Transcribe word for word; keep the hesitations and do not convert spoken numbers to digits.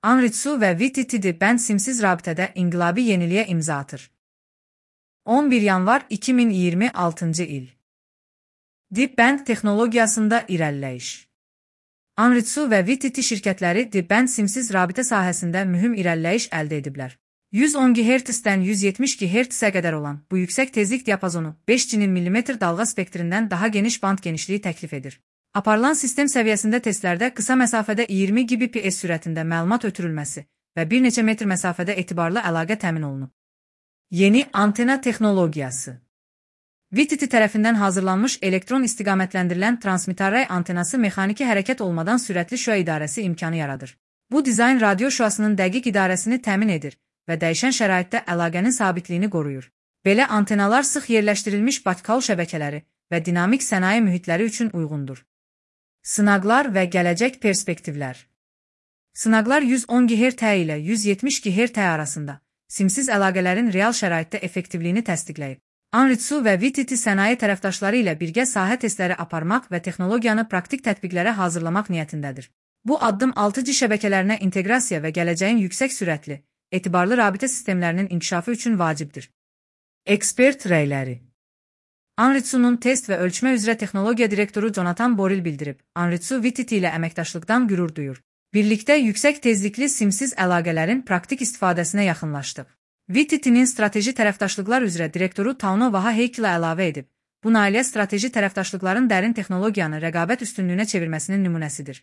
Anritsu və V T T Deepband simsiz rabitədə inqilabi yeniliyə imza atır. on bir yanvar iki min iyirmi altıncı il. Deepband texnologiyasında irəliləyiş. Anritsu və V T T şirkətləri Deepband simsiz rabitə sahəsində mühüm irəliləyiş əldə ediblər. yüz on giqahertzdən yüz yetmiş giqahertzə qədər olan bu yüksək tezlik diapazonu beş G millimetr dalğa spektrindən daha geniş band genişliyi təklif edir. Aparılan sistem səviyyəsində testlərdə qısa məsafədə iyirmi Gbps sürətində məlumat ötürülməsi və bir neçə metr məsafədə etibarlı əlaqə təmin olunub. Yeni antena texnologiyası. V T T tərəfindən hazırlanmış elektron istiqamətləndirilən transmitarray antenası mexaniki hərəkət olmadan sürətli şüa idarəsi imkanı yaradır. Bu dizayn radio şüasının dəqiq idarəsini təmin edir və dəyişən şəraitdə əlaqənin sabitliyini qoruyur. Belə antenalar sıx yerləşdirilmiş batkal şəbəkələri və dinamik sənaye mühitləri üçün uyğundur. Sınaqlar və gələcək perspektivlər. Sınaqlar yüz on giqahertz ilə yüz yetmiş giqahertz arasında simsiz əlaqələrin real şəraitdə effektivliyini təsdiqləyib. Anritsu və V T T sənaye tərəfdaşları ilə birgə sahə testləri aparmaq və texnologiyanı praktik tətbiqlərə hazırlamaq niyyətindədir. Bu addım altı G şəbəkələrinə inteqrasiya və gələcəyin yüksək sürətli, etibarlı rabitə sistemlərinin inkişafı üçün vacibdir. Ekspert rəyləri. Anritsu'nun test və ölçmə üzrə texnologiya direktoru Jonathan Boril bildirib, Anritsu V T T ilə əməkdaşlıqdan qürur duyur. Birlikdə yüksək tezlikli simsiz əlaqələrin praktik istifadəsinə yaxınlaşdıq. V T T'nin strateji tərəfdaşlıqlar üzrə direktoru Tauno Vahaheykilə əlavə edib, bu nailiyyət strateji tərəfdaşlıqların dərin texnologiyanı rəqabət üstünlüyünə çevirməsinin nümunəsidir.